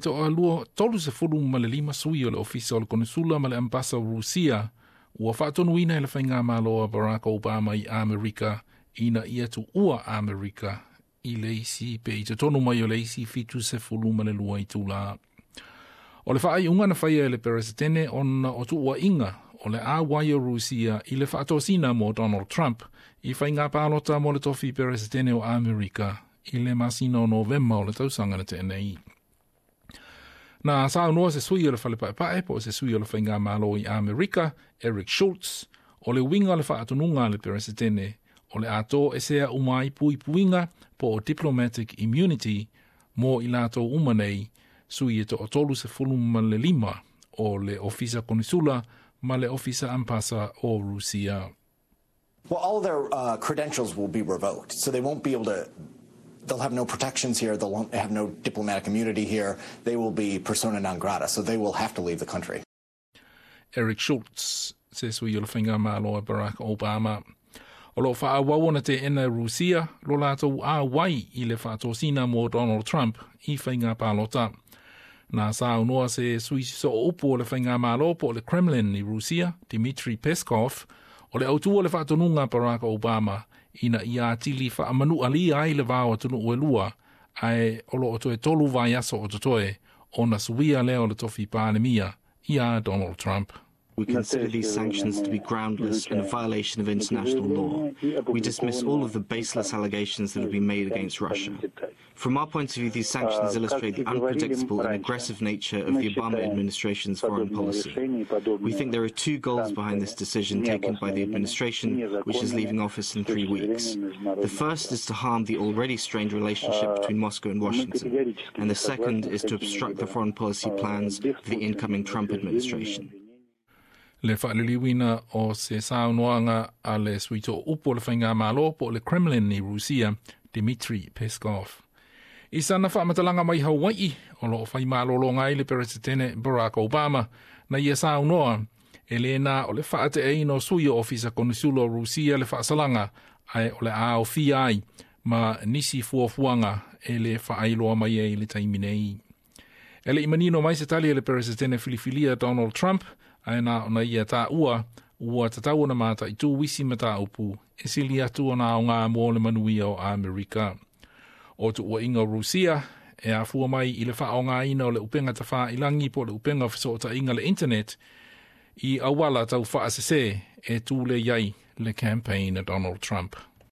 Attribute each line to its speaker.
Speaker 1: toalua 35 sui o le ofisa o le konisula ma le ambasa o Rusia ua faatonuina e le faigamalo a Barack Obama i Amerika ina ia tuua Amerika i le isi pe i totonu mai o le isi 72 itula. O le faaiuga na faia e le Peresetene ona o tuuaiga o le auai o Rusia i le faatosina mo Donald Trump i faiga palota mo le tofi Peresetene o Amerika i le masina o Novema o le tausaga na tea nei. Na saunoa se sui o le fale paepae po o se sui o le faigamalo i Amerika, Eric Schultz, o le uiga o le faatonuga a le Peresetene o le a toesea uma ai puipuiga po o diplomatic immunity mo i latou uma nei sui e 35 o le ofisa konisula ma le ofisa ambasa o Rusia.
Speaker 2: Well, all their credentials will be revoked, so they won't be able to. They'll have no protections here. They'll have no diplomatic immunity here. They will be persona non grata, so they will have to leave the country.
Speaker 1: Eric Schultz, se sui o le faigamalo a Barack Obama. O lo faaauau ona teena e Rusia lo latou auai i le faatosina mo Donald Trump i faiga palota. Na saunoa se sui sooupu o le faigamalo po o le Kremlin i Rusia, Dmitry Peskov, o le autu o le faatonuga Barack Obama ina ia atili faamanualia ai le va o atunuu e lua, ae o lo o toe 3 vaiaso o totoe ona suia lea o le tofi palemia ia Donald Trump.
Speaker 3: We consider these sanctions to be groundless and a violation of international law. We dismiss all of the baseless allegations that have been made against Russia. From our point of view, these sanctions illustrate the unpredictable and aggressive nature of the Obama administration's foreign policy. We think there are two goals behind this decision taken by the administration, which is leaving office in 3 weeks. The first is to harm the already strained relationship between Moscow and Washington, and the second is to obstruct the foreign policy plans for the incoming Trump administration.
Speaker 1: Le faaliliuina o se saunoaga a le sui tooupu o le faigamalo po o le Kremlin i Rusia, Dmitry Peskov. I sana faamatalaga mai Hawaii, o loo faimalologa ai le Peresetene Barack Obama, na ia saunoa e lē na o le faateaina o sui o ofisa konisula o Rusia le faasalaga, ae o le a aofia ai ma nisi fuafuaga e le faailoa mai ai i le taimi nei. E le i manino mai se tali e le Peresetene filifilia Donald Trump, ae na ona ia taua ua tatau ona mataitū isi mataupu e sili atu ona aoga mo le manuia o Amerika. O tuuaiga o Rusia e afua mai i le faaaogaina o le upega tafailagi po o le upega o fesootaiga le internet i auala taufaasese e tulei ai le campaign a Donald Trump.